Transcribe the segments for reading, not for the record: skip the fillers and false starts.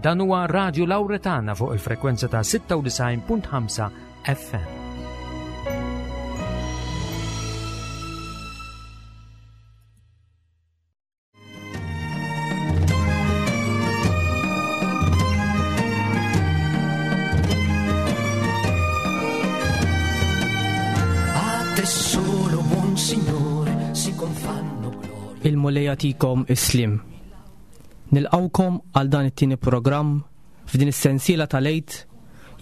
Dan huwa Radju Lawretana fuq il-frekwenza ta' 96.5 FM. Il-Mulej jagħtikom is-sliem. Nilqgħukom għal dan it-tieni programm f'din is-sensiela tal-Għid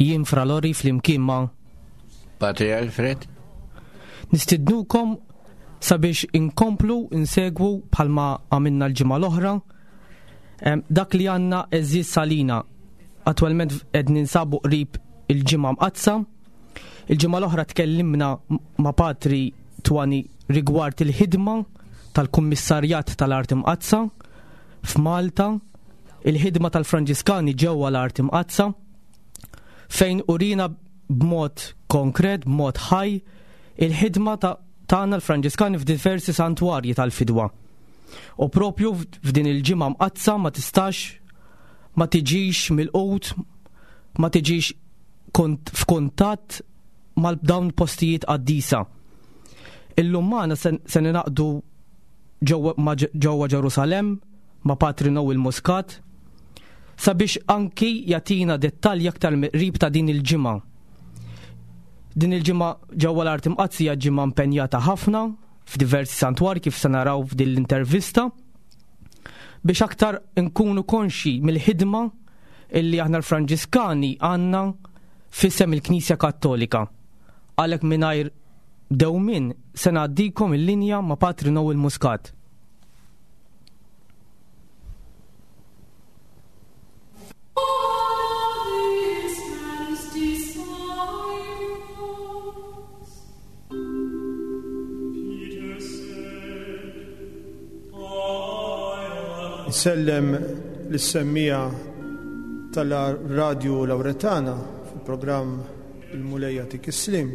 jien Fra Lori flimkien ma' Patri Alfred. Nistidnukom sabiex inkomplu insegwu bħalma għamilna l-ġimgħa l-oħra dak li għandna eżiz salina. Attwalment qed ninsabu qrib il-ġimgħa mqaddsa. Il-ġimgħa l-oħra tkellimna ma' Patri Twani rigward il-ħidma tal-Kummissarjat tal-Art Imqaddsa f'Malta, il-ħidma tal-Franġiskani ġewwa l-Art Imqaddsa, fejn urina b'mod konkret, b'mod ħaj, il-ħidma tagħna l-Franġiskani f'diversi santwarji tal-fidwa. U propju f'din il-ġimgħa mqaddsa ma tistax ma tiġix milqut, ma tiġix f'kuntatt mal dawn postijiet qaddisa. Illum magħna se ninaqdu ġewwa Ġerusalemm ma' Patri Noel Muscat sabiex anki jagħtina dettalji aktar mill-qrib ta' din il-ġimgħa. Din il-ġimgħa ġewwa l-Art Imqaddsa hija ġimgħa impenjata ħafna f'diversi santwarji kif se naraw f'din l-intervista biex aktar nkunu konxji mill-ħidma illi aħna l-Franġiskani għandna f'isem il-Knisja Kattolika. Għalhekk mingħajr dewmien se ngħaddikom il-linja ma' Patri Noel Muscat. Nsellem lis-semmiegħa tal-Radju Lawretana fil-programm Il-Mulej Jagħtik is-Sliem.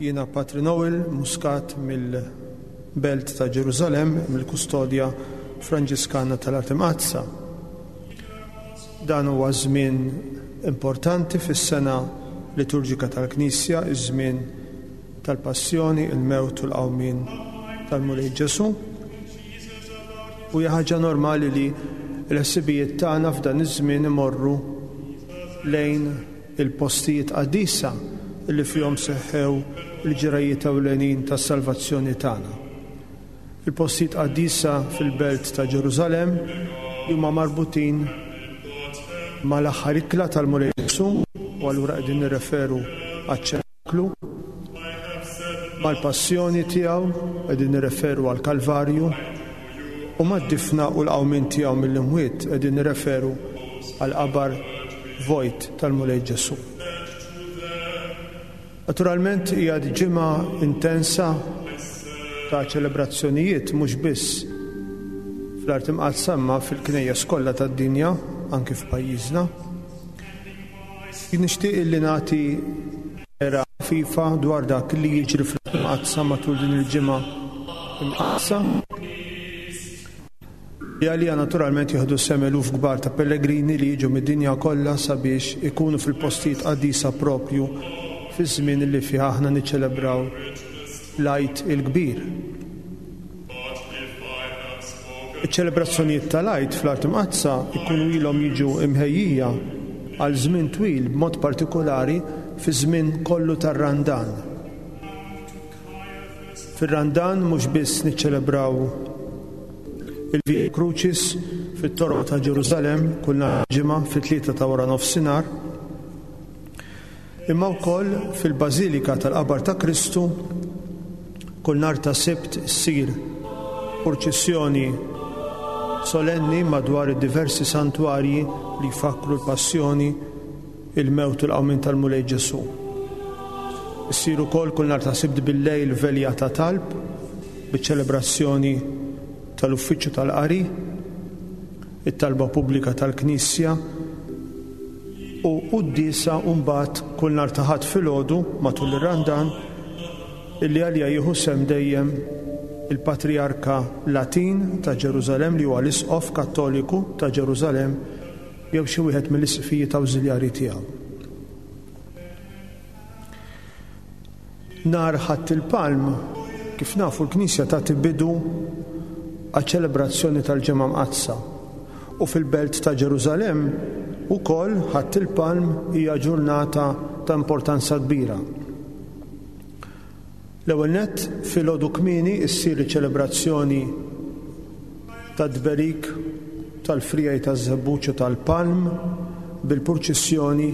Jiena Patri Noel Muscat mill-Belt ta' Ġerusalemm, mill-Kustodja Franġiskana tal-Art Imqaddsa. Dan huwa żmien importanti fis-sena liturġika tal-Knisja, iż-żmien tal-Passjoni, il-mewt u l-qawmien tal-Mulej Ġesù. U hija ħaġa normali li l-ħsibijiet tagħna f'dan iż-żmien imorru lejn il-postijiet qaddisa li fihom seħħew il-ġrajjiet ewlenin tas-salvazzjoni tagħna. Il-postijiet qaddisa fil-belt ta' Ġerusalemm li huma marbutin mal-aħħar ikla tal-Mulej Ġesù, u allura qegħdin nirreferu għaċ-ċenaklu, mal-passjoni tiegħu, qegħdin nirreferu għall-Kalvarju, u mad-difna u l-qawmien tiegħu mill-imwiet, qegħdin nirreferu għall-qabar vojt tal-Mulej Ġesù. Naturalment hija ġimgħa intensa ta' ċelebrazzjonijiet mhux biss fl-Art Imqaddsa imma fil-knejjes kollha tad-dinja, anki f'pajjiżna. Jien nixtieq illi nagħti era ħafifa dwar dak li jiġri fl-Art Imqaddsa matul din il-ġimgħa imqaddsa. Li għaliha naturalment jieħdu sehem eluf kbar ta' pellegrini li jiġu mid-dinja kollha sabiex ikunu fil-postijiet qaddisa proprju fiż-żmien li fih aħna niċċelebraw l-Għid il-Kbir. Iċ-ċelebrazzjonijiet tal-Għid fl-Art Imqaddsa jkunu ilhom jiġu mħejjija għal żmien twil b'mod partikulari fiż-żmien kollu tar-Randan. Fir-Randan mhux biss niċċelebraw il-Via Crucis fit-toroq ta' Ġerusalemm kull nhar ġimgħa fit-tlieta ta' wara nofsinhar, imma wkoll fil-Bażilika tal-Qabar ta' Kristu kull nhar ta' Sibt issir purċissjoni solenni madwar id-diversi santwarji li jfakkru l-Passjoni il-mewt u l-qawmien tal-Mulej Ġesù. Issir ukoll kull nhar ta' Sibt bil-lejl velja ta' talb biċ-ċelebrazzjoni tal-Uffiċċju tal-Qari, it-talba pubblika tal-Knisja u quddiesa u mbagħad kull nhar ta' Ħadd filgħodu matul ir-Randan illi għaliha jieħu sehem dejjem il-Patrijarka Latin ta' Ġerusalemm li huwa l-Isqof Kattoliku ta' Ġerusalemm. jew xi wieħed mill-isqfijiet awżiljarji tiegħu. Nhar Ħadd il-Palm, kif nafu l-Knisja tagħti bidu għaċ-ċelebrazzjoni tal-Ġimgħa Mqaddsa u fil-belt ta' Ġerusalemm ukoll Ħadd il-Palm hija ġurnata ta' importanza kbira. L-ewwel nett, filgħodu kmieni ssir iċ-ċelebrazzjoni tat-tberik tal-friegħi taż-żebbuġ u tal-palm bil-purċissjoni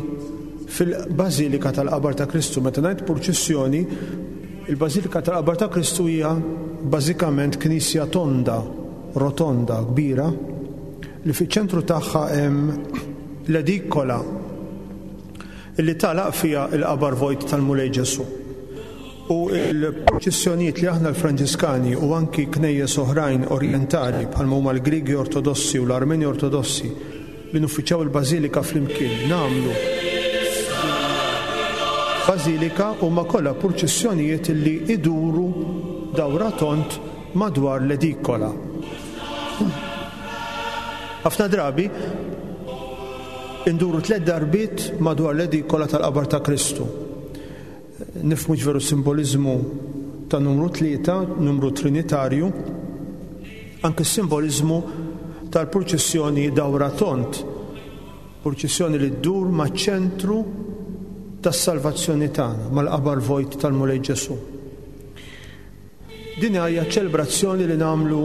fil-Bażilika tal-Qabar ta' Kristu. Meta ngħid purċissjoni, il-Bażilika tal-Qabar ta' Kristu hija bażikament knisja tonda, rotonda, kbira, li fiċ-ċentru tagħha hemm l-edikola li tagħlaq fiha l-qabar vojt tal-Mulej Ġesù. U l-purċissjonijiet li aħna l-Franġiskani u anki knejjes oħrajn orjentali bħalma huma l-Griegi Ortodossi u l-Armeni Ortodossi li nuffiċjaw il-Bażilika flimkien nagħmlu f'din il-Bażilika huma kollha purċissjonijiet li iduru dawra tond madwar l-edikola. Ħafna drabi Induru tlett darbiet madwar l-edikola tal-qabar ta' Kristu. Nifhmu x'veru simboliżmu ta' numru tlieta, numru trinitarju, anke s-simboliżmu tal-purċissjoni dawra tond, purċissjoni li ddur maċ-ċentru tas-salvazzjoni tagħna, mal-qabar vojt tal-Mulej Ġesù. Din hija ċelebrazzjoni li nagħmlu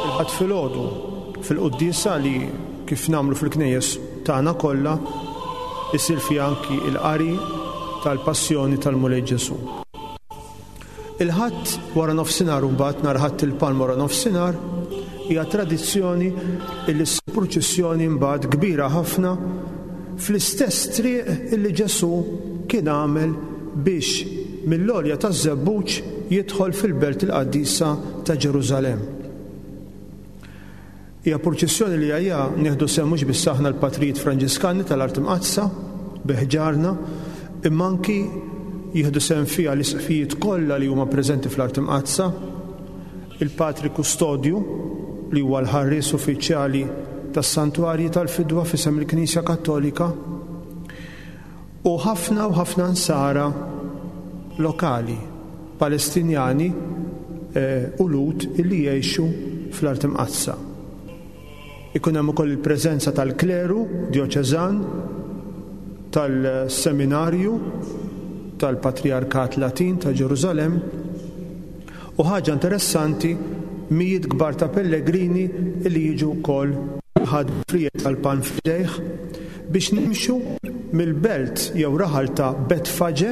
il-Ħadd filgħodu fil-quddiesa li kif nagħmlu fil-knejjes tagħna kollha isir fiha anki l-qari tal-Passjoni tal-Mulej Ġesù. Il-Ħadd wara nofsinhar imbagħad nhar Ħadd il-Palm wara nofsinhar hija tradizzjoni li ssir purċissjoni mbagħad kbira ħafna fl-istess triq illi Ġesù kien għamel biex mill-għolja taż-Żebbuġ jidħol fil-belt il-qaddisa ta' Ġerusalemm. Hija purċissjoni li għaliha nieħdu sehem mhux biss aħna l-patrijiet Franġiskani tal-Art Imqaddsa bi ħġarna, imma anki jieħdu sehem fiha l-isqfijiet kollha li huma preżenti fl-Art Imqaddsa, il-Patri Kustodju, li huwa l-ħarries uffiċjali tas-santwarji tal-fidwa f'isem il-Knisja Kattolika, u ħafna u ħafna Nsara lokali, Palestinjani u Lhud illi jgħixu fl-Art Imqaddsa. Ikun hemm ukoll il-preżenza tal-kleru djoċeżan, tal-seminarju tal-Patrijarkat Latin ta' Ġerusalemm, U ħaġa interessanti, mijiet kbar ta' pellegrini li jiġu wkoll kulħadd b'friegħi tal-palm f'idejh biex nimxu mill-belt jew raħal ta' Betfaġe,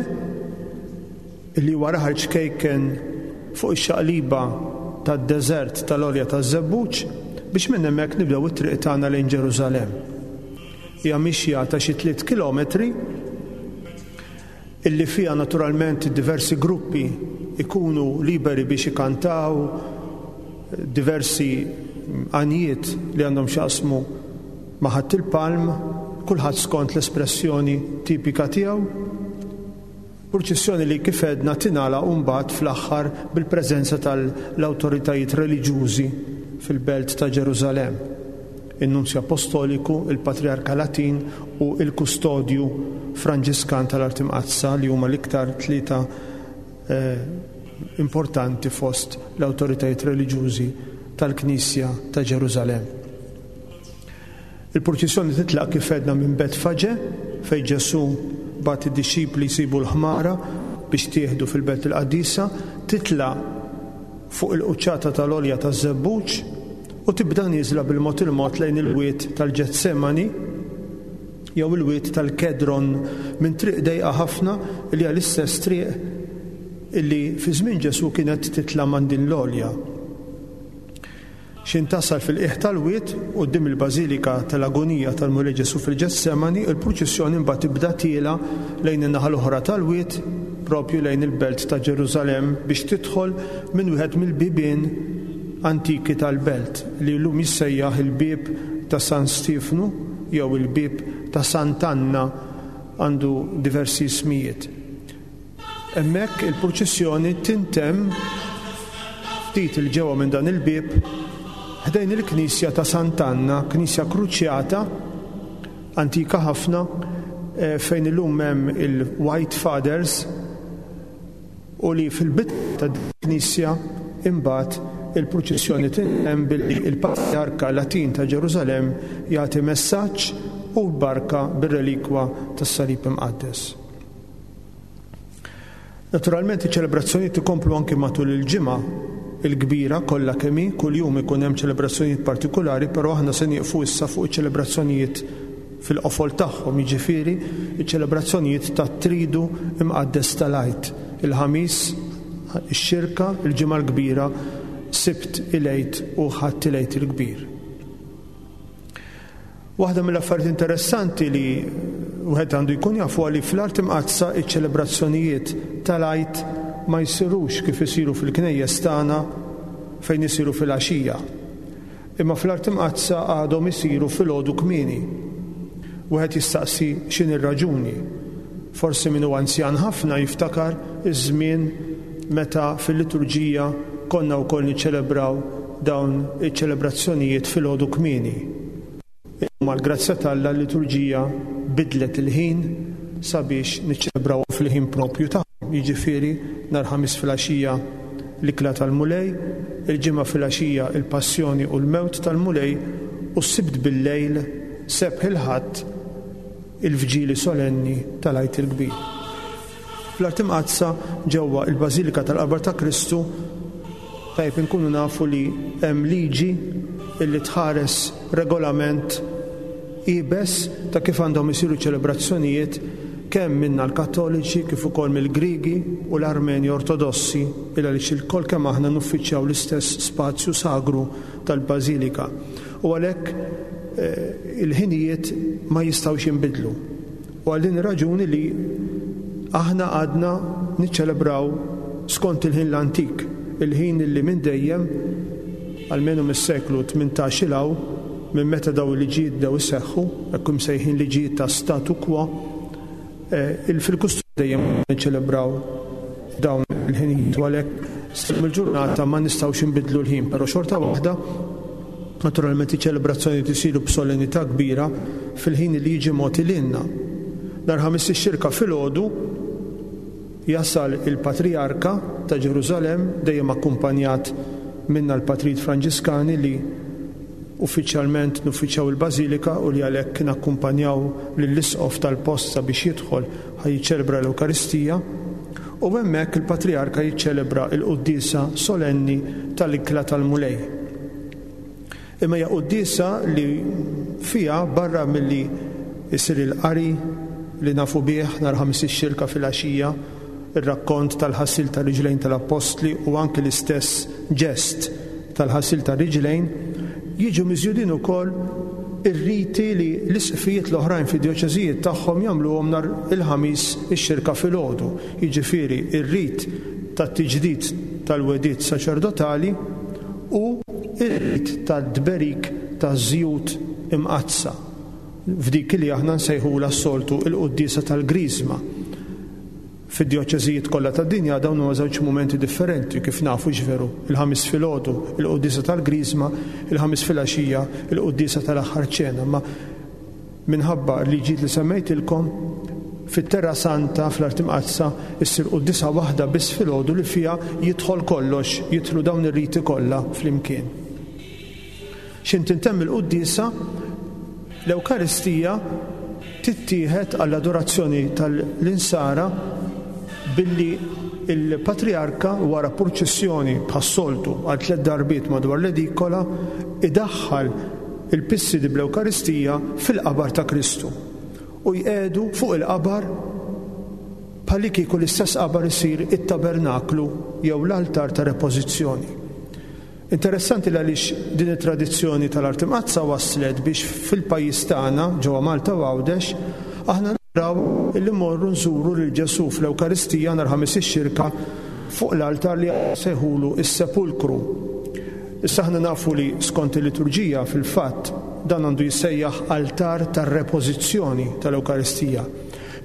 li huwa raħal ċkejken fuq ix-xaqliba tad-deżert tal-Għolja taż-Żebbuġ, biex minn hemmhekk nibdew it-triq tagħna lejn Ġerusalemm. Hija mixja ta' xi tliet kilometri. illi fiha naturalment diversi gruppi jkunu liberi biex ikantaw diversi għanjiet li għandhom x'jaqsmu ma' Ħadd il-Palm, kulħadd skont l-espressjoni tipika tiegħu. Purċissjoni li kif għedna tingħalaq mbagħad fl-aħħar bil-preżenza tal-awtoritajiet reliġjużi fil-belt ta' Ġerusalemm. in-Nunzju Appostoliku, il-Patrijarka Latin u l-Kustodju Franġiskan tal-Art Imqaddsa li huma l-iktar tlieta importanti fost l-awtoritajiet reliġjużi tal-Knisja ta' Ġerusalemm. Il-purċissjoni titlaq kif għedna minn Betfaġe fejn Ġesù bagħat id-dixxipli jsibu l-ħmara biex tieħdu fil-Belt il-Qaddisa, titlaq fuq il-quċċata tal-Għolja taż-Żebbuġ u tibda nieżla bil-mod il-mod lejn il-wied tal-Ġetsemani jew il-wied tal-Kedron minn triq dejqa ħafna li hija l-istess triq illi fi żmien Ġesù kienet titla' man din l-għolja. X'in tasal fil-qiegħ tal-wied, quddiem il-Bażilika tal-Agunija tal-Mulej Ġesù fil-Ġetsemani, il-purċissjoni mbagħad tibda tiela' lejn in-naħa l-oħra tal-wied, propju lejn il-belt ta' Ġerusalemm biex tidħol minn wieħed mill-bibien antiki tal-belt, li llum jissejjaħ il-Bieb ta' San Stiefnu jew il-Bieb ta' Sant'Anna, għandu diversi ismijiet. Hemmhekk il-purċissjoni tintemm ftit 'il ġewwa minn dan il-bieb, ħdejn il-knisja ta' Sant'Anna, knisja kruċjata. antika ħafna fejn illum hemm il-White Fathers u li fil-bitħa ta' din il-knisja imbagħad il-purċissjoni tintemm billi l-Patrijarka Latin ta' Ġerusalemm jagħti messaġġ u l-barka bir-relikwa tas-Salib Imqaddes. Naturalment iċ-ċelebrazzjonijiet ikomplu anki matul il-ġimgħa l-kbira kollha kemm hi, kuljum ikun hemm ċelebrazzjonijiet partikulari, però aħna se nieqfu issa fuq iċ-ċelebrazzjonijiet fil-qofol tagħhom, jiġifieri ċ-ċelebrazzjonijiet tat-Tridu Imqaddes tal-Għid, il-Ħamis, ix-Xirka, il-Ġimgħa l-Kbira, Sibt il-Għid u Ħadd il-Għid il-Kbir. Waħda mill-affarijiet interessanti li wieħed għandu jkun jaf huwa li fl-Art Imqaddsa iċ-ċelebrazzjonijiet tal-Għid ma jsirux kif isiru fil-knejjes tagħna fejn isiru filgħaxija. Imma fl-Art Imqaddsa għadhom isiru filgħodu kmieni. Wieħed jistaqsi x'inhi r-raġuni. Forsi min hu anzjan ħafna jiftakar iż-żmien meta fil-liturġija konna wkoll niċċelebraw dawn iċ-ċelebrazzjonijiet filgħodu kmieni. Illum għall-grazzja t'Alla l-liturġija bidlet il-ħin sabiex niċċelebrawhom fil-ħin proprju tagħhom, jiġifieri nhar Ħamis filgħaxija l-Ikla tal-Mulej, il-Ġimgħa filgħaxija l-Passjoni u l-Mewt tal-Mulej u s-Sibt billejl, sebħ il-Ħadd, il-Vġili Solenni tal-Għid il-Kbir. Fl-Art Imqaddsa, ġewwa il-Bażilika tal-Qabar ta' Kristu, tajjeb inkunu nafu li hemm liġi illi tħares regolament iebes ta' kif għandhom isiru ċelebrazzjonijiet kemm minna l-Kattoliċi kif ukoll mill-Griegi u l-Armeni Ortodossi il għaliex ilkoll kemm aħna nuffiċjaw l-istess spazju sagru tal-Bażilika. U għalhekk il-ħinijiet ma jistgħux jinbidlu. U għal din ir-raġuni li aħna għadna niċċelebraw skont il-ħin l-antik, il-ħin li minn dejjem, almenu mis-seklu 18 'il hawn, minn meta dawn il-liġijiet bdew iseħħu, hekk imsejħin liġijiet ta' statu quo, fil-kustum dejjem niċċelebraw dawn il-ħinijiet u għalhekk sal-lum il-ġurnata ma nistgħux inbiddlu l-ħin, però xorta waħda Naturalment iċ-ċelebrazzjonijiet isiru b'solennità kbira fil-ħin li jiġi mogħti lilna. Nhar Ħamis ix-Xirka filgħodu jasal il-Patrijarka ta' Ġerusalemm dejjem akkumpanjat minna l-Patrijiet Franġiskani li uffiċjalment nuffiċjaw il-Bażilika u li għalhekk nakkumpanjaw lill-Isqof tal-post sabiex jidħol ħa jiċċelebra l-Ewkaristija. U hemmhekk il-Patrijarka jiċċelebra l-quddiesa solenni tal-Ikla tal-Mulej. Imma hija quddiesa li fiha barra milli jsir il-qari li nafu bih nhar Ħamis ix-Xirka filgħaxija, ir-rakkont tal-ħasil tar-riġlejn tal-appostli u anki l-istess ġest tal-ħasil tar-riġlejn, jiġu miżjudin ukoll ir-riti li l-isqfijiet l-oħrajn fid-djoċeżijiet tagħhom jagħmluhom nhar il-Ħamis ix-Xirka filgħodu, jiġifieri r-rit tat-tiġdid tal-wegħdiet saċerdotali u r-rit tat-tberik taż-żjut imqaddsa, f'dik li aħna nsejħulha s-soltu l-quddiesa tal-Griżma. Fid-djoċeżijiet kollha tad-dinja dawn huma żewġ mumenti differenti, kif nafu, hux veru? Il-Ħamis filgħodu, il-quddiesa tal-Griżma, il-Ħamis filgħaxija, il-quddiesa tal-Aħħar Ċena. Imma minħabba l-liġijiet li semmejtilkom, fit-Terra Santa, fl-Art Imqaddsa, issir quddiesa waħda biss filgħodu li fiha jidħol kollox, jidħlu dawn ir-riti kollha flimkien. X'int tintemm il-quddiesa, l-Ewkaristija tittieħed għall-adorazzjoni tal-Insara billi l-Patrijarka wara purċissjoni bħas-soltu għal tlett darbiet madwar l-edikola idaħħal il-pissidi bl-Ewkaristija fil-qabar ta' Kristu u jqiegħdu fuq il-qabar bħallikieku l-istess qabar isir it-tabernaklu jew l-altar ta' repożizzjoni. Interessanti l-għaliex din it-tradizzjoni tal-Art Imqaddsa wasslet biex fil-pajjiż tagħna, ġewwa Malta u Għawdex, aħna naraw illi mmorru nżuru lil Ġesù fl-Ewkaristija nhar Ħamis ix-Xirka fuq l-altar li aħna nsejħulu s-Sepulkru. Issa aħna nafu li skont il-liturġija fil-fatt dan għandu jissejjaħ altar tar-repożizzjoni tal-Ewkaristija.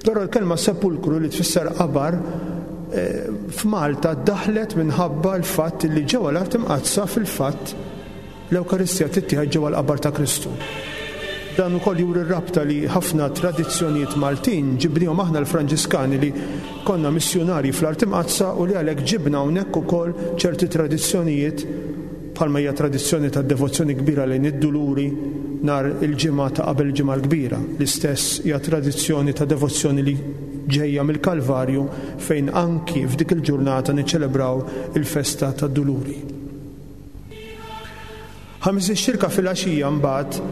Però l-kelma sepulkru li tfisser qabar f'Malta ddaħlet minħabba l-fatt li ġewwa l-Art Imqaddsa fil-fatt l-Ewkaristija tittieħed ġewwa l-qabar ta' Kristu. Dan ukoll juri r-rabta li ħafna tradizzjonijiet Maltin ġibnihom aħna l-Franġiskani li konna missjunarji fl-Art Imqaddsa u li għalhekk ġibna hawnhekk ukoll ċerti tradizzjonijiet bħalma hija tradizzjoni ta' devozzjoni kbira lejn id-Duluri nhar il-Ġimgħa ta' qabel il-Ġimgħa l-Kbira. L-istess hija tradizzjoni ta' devozzjoni li ġejja mill-Kalvarju fejn anki f'dik il-ġurnata niċċelebraw il-festa tad-Duluri. Ħamis ix-Xirka filgħaxija mbagħad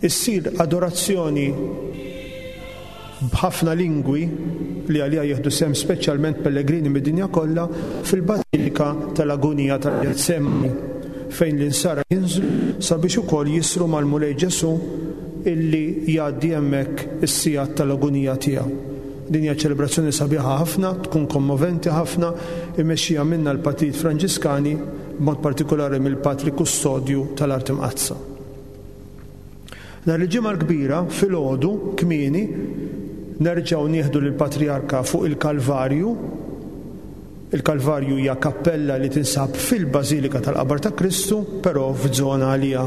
issir adorazzjoni b'ħafna lingwi li għaliha jieħdu sehem speċjalment pellegrini mid-dinja kollha fil-Bażilika tal-Agunija tal-Ġetsemani fejn l-insara jinżlu sabiex ukoll jisru mal-Mulej Ġesù illi jgħaddi hemmhekk is-sigħat tal-agunija tiegħu. Din hija ċelebrazzjoni sabiħa ħafna, tkun kommoventi ħafna, immexxija minna l-Patrijiet Franġiskani, b'mod partikolari mill-Patri Kustodju tal-Art Imqaddsa. Nhar il-Ġimgħa l-Kbira, filgħodu, kmieni, nerġgħu nieħdu lill-Patrijarka fuq il-Kalvarju. Il-Kalvarju hija kappella li tinsab fil-Bażilika tal-Qabar ta' Kristu, però f'żona għaliha.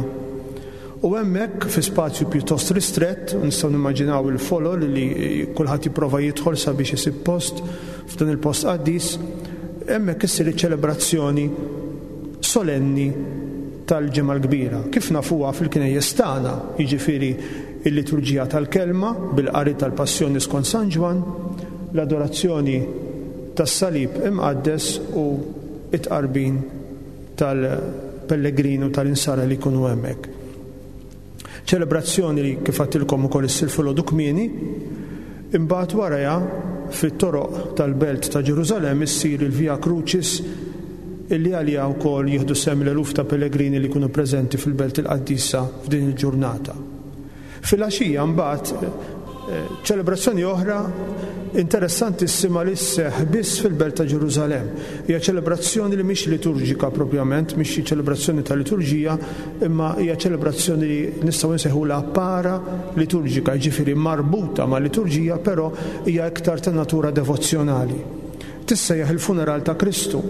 U hemmhekk, fi spazju pjuttost ristrett, u nistgħu nimmaġinaw il-folol li kulħadd jipprova jidħol sabiex isib post f'dan il-post qaddis, hemmhekk issir iċ-ċelebrazzjoni solenni tal-Ġimgħa l-Kbira, kif nafuha fil-knejjes tagħna, jiġifieri l-liturġija tal-Kelma bil-qari tal-Passjoni skont San Ġwann, l-adorazzjoni tas-Salib Imqaddes u t-tqarbin tal-pellegrini u tal-insara li jkunu hemmhekk. Ċelebrazzjoni li kif għedtilkom ukoll issir filgħodu kmieni, imbagħad warajha fit-toroq tal-belt ta' Ġerusalemm issir il-Via Crucis illi għaliha wkoll jieħdu sehem l-eluf ta' pellegrini li jkunu preżenti fil-Belt il-Qaddisa f'din il-ġurnata. Filgħaxija mbagħad ċelebrazzjoni oħra interessantissima li sseħħ biss fil-belt ta' Ġerusalemm. Hija ċelebrazzjoni li mhix liturġika propjament, mhix xi ċelebrazzjoni ta' liturġija, imma hija ċelebrazzjoni li nistgħu nsejħulha para liturġika, jiġifieri marbuta ma' liturġija, però hija iktar ta' natura devozzjonali. Tissejjaħ il-funeral ta' Kristu.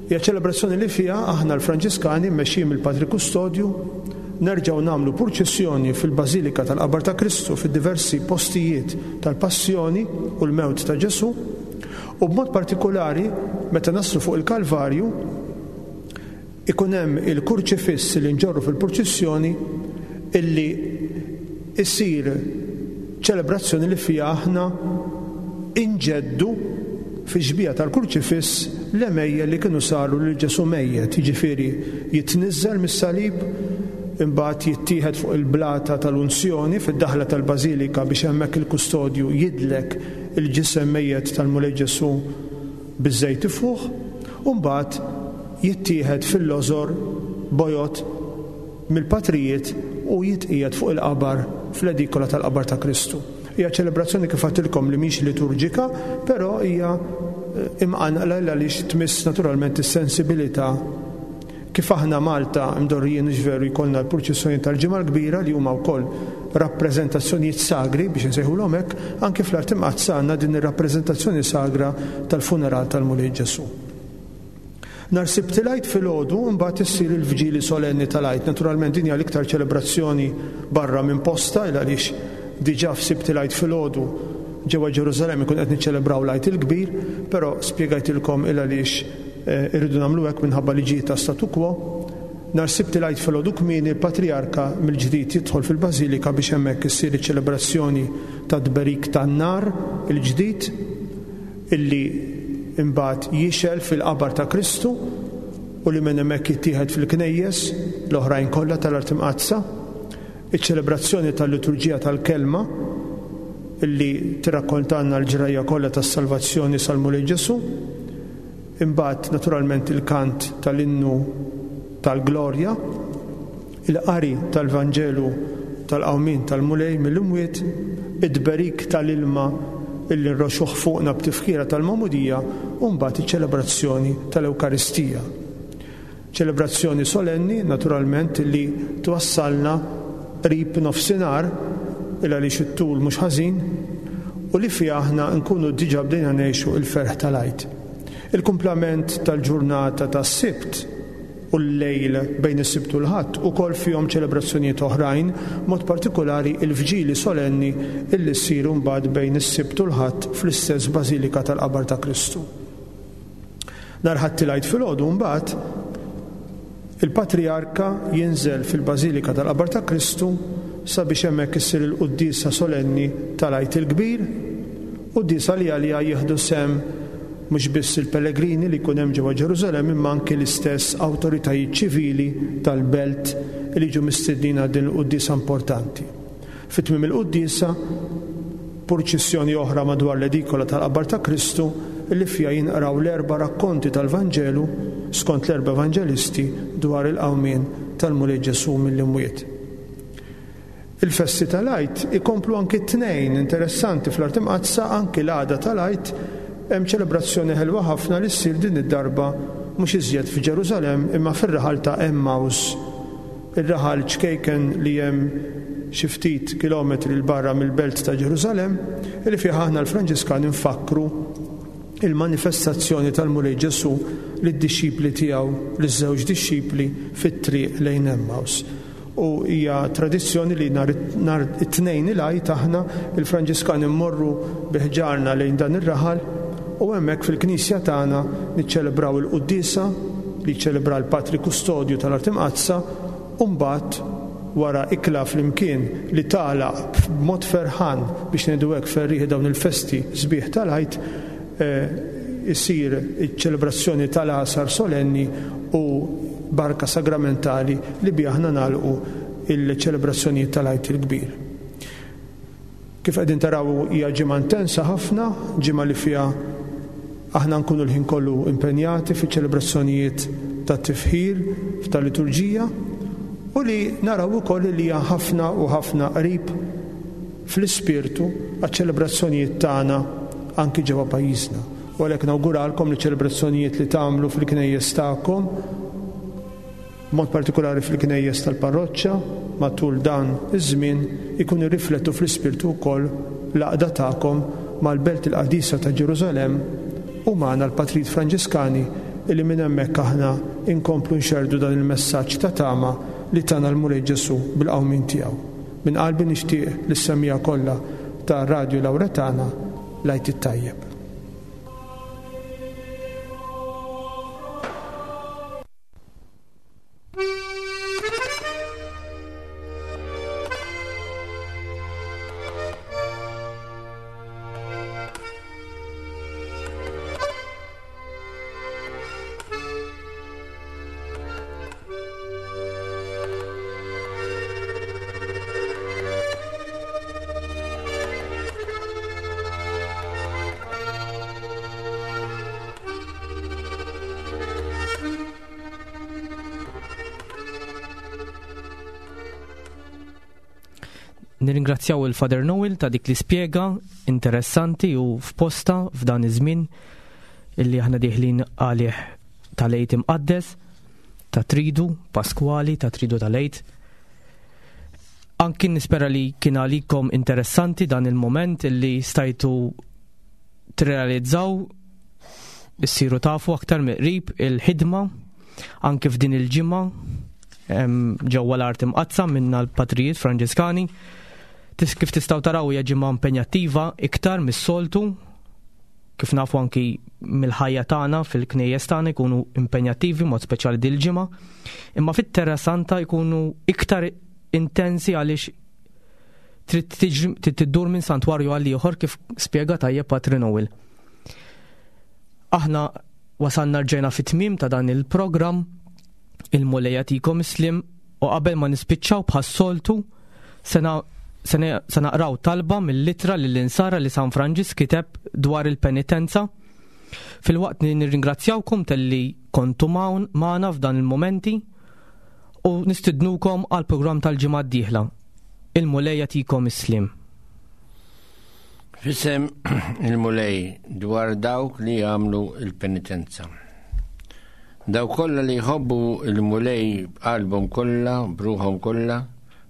Hija ċelebrazzjoni li fiha aħna l-Franġiskani mmexxijin mill-Patri Kustodju nerġgħu nagħmlu purċissjoni fil-Bażilika tal-Qabar ta' Kristu fid-diversi postijiet tal-Passjoni u l-mewt ta' Ġesù u b'mod partikulari meta naslu fuq il-Kalvarju Ikun hemm il-kurċifiss li nġorru fil-purċissjoni illi issir ċelebrazzjoni li fiha aħna inġeddu fix-xbieha tal-kurċifiss l-għemejjel li kienu saru lil Ġesù mejjet, jiġifieri jitniżżel mis-salib, imbagħad jittieħed fuq il-blata tal-unzjoni fid-daħla tal-bażilika biex hemmhekk il-kustodju jidlek il-ġisem mejjet tal-Mulej Ġesù biż-żejt ifuħ, u mbagħad jittieħed fil-lożor bojod mill-patrijiet u jitqiegħed fuq il-qabar fl-edikola tal-qabar ta' Kristu. Hija ċelebrazzjoni kif għedtilkom li mhix liturġika, però hija imqanqla għaliex tmiss naturalment is-sensibilità kif aħna Malta mdorrijin hux veru jkollna l-purċissjoni tal-Ġimgħa l-Kbira li huma wkoll rappreżentazzjonijiet sagri biex insejħulhom hekk, anki fl-Art Imqaddsa għandna din ir-rappreżentazzjoni sagra tal-funeral tal-Mulej Ġesù. Nhar Sibt il-Għid filgħodu mbagħad issir il-Vġili Solenni tal-Għid. Naturalment din hija l-iktar ċelebrazzjoni barra minn postha il għaliex diġà f'Sibt il-Għid filgħodu ġewwa Ġerusalemm ikun qed niċċelebraw l-Għid il-Kbir, però spjegajtilkom il għaliex eh, irridu nagħmlu hekk minħabba liġijiet ta' statu quo. Nhar Sibt il-Għid filgħodu kmieni l-Patrijarka mill-ġdid jidħol fil-Bażilika biex hemmhekk issir iċ-ċelebrazzjoni tat-tberik tan-nar il-ġdid. illi imbagħad jixgħel fil-qabar ta' Kristu u li minn hemmhekk jittieħed fil-knejjes l-oħrajn kollha tal-Art Imqaddsa, iċ-ċelebrazzjoni tal-liturġija tal-Kelma illi tirrakkontalna l-ġrajja kollha tas-salvazzjoni sal-Mulej Ġesù, imbagħad naturalment il-kant tal-innu tal-Glorja, il-qari tal-Vanġelu tal-qawmien tal-Mulej mill-imwiet, it-tberik tal-ilma illi nroxxuh fuqna b'tifkira tal-Magħmudija u mbagħad iċ-ċelebrazzjoni tal-Ewkaristija. Ċelebrazzjoni solenni, naturalment, li twassalna qrib nofsinhar, il għaliex it-tul mhux ħażin, u li fiha aħna nkunu diġà bdejna ngħixu l-ferħ tal-Għid. Il-kumplament tal-ġurnata tas-Sibt. u l-lejl bejn is-Sibt u l-Ħadd ukoll fihom ċelebrazzjonijiet oħrajn, b'mod partikulari il-vġili solenni illi ssir imbagħad bejn is-Sibt u l-Ħadd fl-istess Bażilika tal-Qabar ta' Kristu. Nhar Ħadd il-Għid filgħodu mbagħad il-Patrijarka jinżel fil-Bażilika tal-Qabar ta' Kristu sabiex hemmhekk issir il-quddiesa solenni tal-Għid il-Kbir, quddiesa li għaliha jieħdu sehem mhux biss il-pellegrini li jkun hemm ġewwa Ġerusalemm imma anki l-istess awtoritajiet ċivili tal-belt li jiġu mistednin għal din il-quddiesa importanti. Fi tmiem il-quddiesa, purċissjoni oħra madwar l-edikola tal-qabar ta' Kristu li fiha jinqraw l-erba' rakkonti tal-Vanġelu skont l-erba' Evanġelisti dwar il-qawmien tal-Mulej Ġesù mill-imwiet. Il-festi tal-Għid ikomplu anki t-Tnejn, interessanti fl-Art Imqaddsa anki l-għada tal-Għid hemm ċelebrazzjoni ħelwa ħafna li ssir din id-darba mhux iżjed f'Ġerusalemm imma fir-raħal ta' Emmaus, ir-raħal ċkejken li hemm xi ftit kilometri 'l barra mill-belt ta' Ġerusalemm, li fih aħna l-Franġiskani nfakkru il-manifestazzjoni tal-Mulej Ġesù lid-dixxipli tiegħu, liż-żewġ dixxipli fit-triq lejn Emmaus. U hija tradizzjoni li nhar nhar it-Tnejn il-Għid aħna l-Franġiskani mmorru bi ħġarna lejn dan ir-raħal u hemmhekk fil-knisja tagħna niċċelebraw il-quddiesa li jiċċelebra l-Patri Kustodju tal-Art Imqaddsa u mbagħad wara ikla flimkien li tagħlaq b'mod ferħan biex ngħidu hekk ferrieħi dawn il-festi sbieħ tal-Għid isir iċ-ċelebrazzjoni tal-Għasar solenni u barka sagramentali li biha aħna nagħlqu il-ċelebrazzjonijiet tal-Għid il-Kbir. Kif qegħdin taraw hija ġimgħa intensa ħafna, ġimgħa li fiha aħna nkunu l-ħin kollu impenjati fiċ-ċelebrazzjonijiet tat-tifħir tal-liturġija u li naraw ukoll li hija ħafna u ħafna qrib fl-ispirtu għaċ-ċelebrazzjonijiet tagħna anki ġewwa pajjiżna. U għalhekk nawguralkom li ċ-ċelebrazzjonijiet li tagħmlu fil-knejjes tagħkom, b'mod partikulari fil-knejjes tal-parroċċa, matul dan iż-żmien ikunu jirriflettu fl-ispirtu wkoll l-għaqda tagħkom mal-Belt il-Qaddisa ta' Ġerusalemm u magħna l-Patrijiet Franġiskani illi minn hemmhekk aħna nkomplu nxerrdu dan il-messaġġ ta' tama li tana l-Mulej Ġesù bil-qawmien tiegħu. Minn qalbi nixtieq lis-semmiegħa kollha ta' Radju Lauretana l-Għid it-Tajjeb. Nirringrazzjaw il-Father Noel ta' dik li spjega interessanti u f'posta f'dan iż-żmien illi aħna dieħlin għalih tal-Għid Imqaddes, ta' Tridu Paskwali, ta' Tridu tal-Għid. Anki nispera li kien għalikom interessanti dan il-moment illi stajtu tirrealizzaw issiru tafu aktar miqrib il-ħidma anki f'din il-ġimgħa ġewwa l-art imqaddsa minna l-patrijiet Franġiskani. Kif tistgħu taraw hija ġimgħa impenjattiva iktar mis-soltu Kif nafu anki mill-ħajja tagħna fil-knejjes tagħna jkunu impenjattivi mod speċjali dil-ġimgħa, imma fit-Terra Santa jkunu iktar intensi għaliex trid tiġri tiddur minn santwarju għal ieħor kif spjega tajjeb Patri Noel. Aħna wasalna rġejna fit-tmiem ta' dan il-programm il-Mulej jagħtikom is-sliem U qabel ma nispiċċaw bħas-soltu, se naqraw talba mill-ittra lill-Insara li San Franġisk kiteb dwar il-penitenza. Filwaqt li nirringrazzjawkom talli kontu magħna f'dan il-mumenti u nistidnukom għall-programm tal-ġimgħa d-dieħla. Il-Mulej jagħtikom is-sliem. F'isem il-Mulej dwar dawk li jagħmlu l-penitenza. Dawk kollha li jħobbu l-Mulej b'qalbhom kollha, b'ruħhom kollha,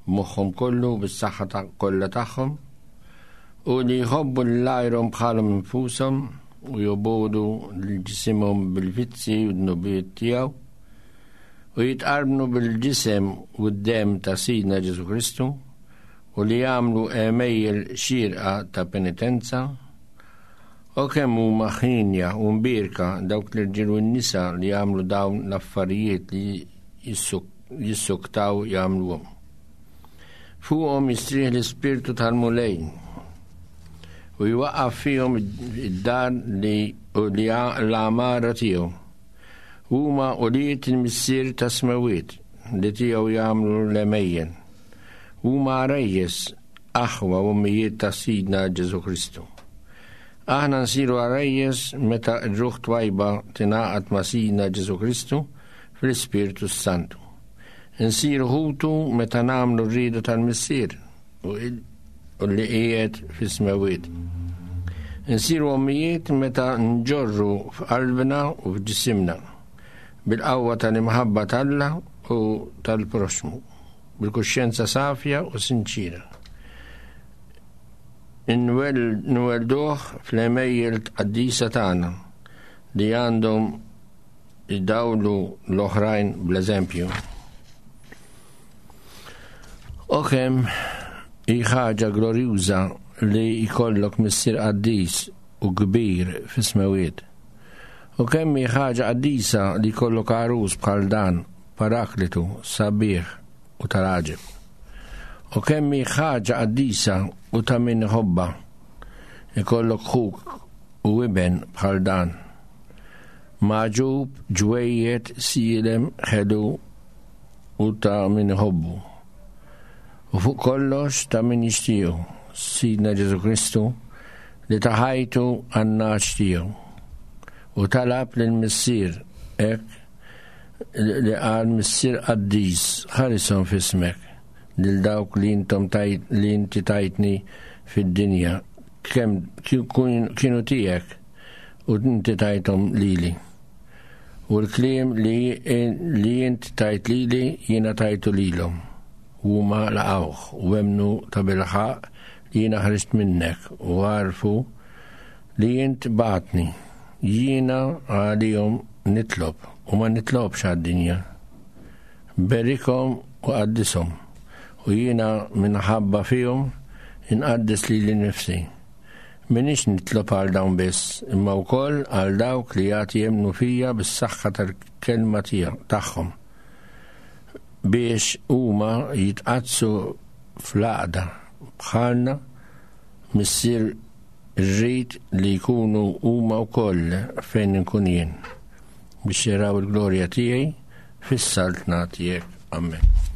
b'moħħhom kollu, bis-saħħa kollha tagħhom, u li jħobbu lil għajrhom bħalhom infushom u jobogħdu lil ġisimhom bil-vizzi u dnubiet tiegħu. u jitqarbnu bil-ġisem u d-demm ta' Sidna Ġesù Kristu u li jagħmlu għemejjel xierqa ta' penitenza, O kemm huma ħienja u mbierka dawk l-irġiel u n-nisa li jagħmlu dawn l-affarijiet li jissuktaw jagħmluhom. Fuqhom jistrieħ l-Ispirtu tal-Mulej u jwaqqaf fihom id-dar li l-għamara tiegħu. Huma ulied il-Missier tas-Smewwiet li tiegħu jagħmlu l-għemejjel. Huma għarajjes, aħwa u ommijiet ta' Sidna Ġesù Kristu. Aħna nsiru għarajjes meta r-ruħ twajba tingħaqad ma' Sidna Ġesù Kristu fl-Ispirtu s-Santu. Insiru ħutu meta nagħmlu r-rieda tal-Missier u li qiegħed fis-smewwiet. Insiru ommijiet meta nġorru f'qalbna u f'ġisimna bil-qawwa tal-imħabba t'Alla u tal-proxxmu, bil-kuxjenza safja u sinċira. Nwellduh fl-għemejjel tqaddisa tagħna li għandhom idawlu l-oħrajn bl-eżempju. O kemm hi ħaġa glorjuża li jkollok missier qaddis u kbir fis-smewiet. U kemm hi ħaġa qaddisa li jkollok għarus bħal dan, paraklitu, sabiħ u tal-għaġeb. U kemm hi ħaġa qaddisa u ta' min iħobbha, ikollok ħuk u iben bħal dan. Magħġub, ġwejjed, sielem, ħelu u ta' min iħobbu. U fuq kollox ta' min jixtiequ, Sidna Ġesù Kristu li ta ħajtu għan-nagħaġ tiegħu. U talab lill-Missier hekk li qal Missier qaddis, ħarishom f'ismek lil dawk li intom tajt li inti tajtni fid-dinja kemm kienu tiegħek u inti tajthom lili. U l-kliem li, li int tajt lili jiena tajtu lilhom. U huma laqgħuh u emmnu tabilħaqq li jiena ħriġt minnek u għarfu li int bgħattni. Jiena għalihom nitlob u ma nitlobx għad-dinja. Berikhom u qaddishom, u jiena minħabba fihom inqaddes lili nnifsi. M'iniex nitlob għal dawn biss, imma wkoll għal dawk li għad jemmnu fija bis-saħħa tal-kelma tagħhom, biex huma jitqaddsu fl-għaqda bħalna, Missier irrid li jkunu huma wkoll fejn inkun jien, biex jaraw il-glorja tiegħi fis-saltna tiegħek. Amen.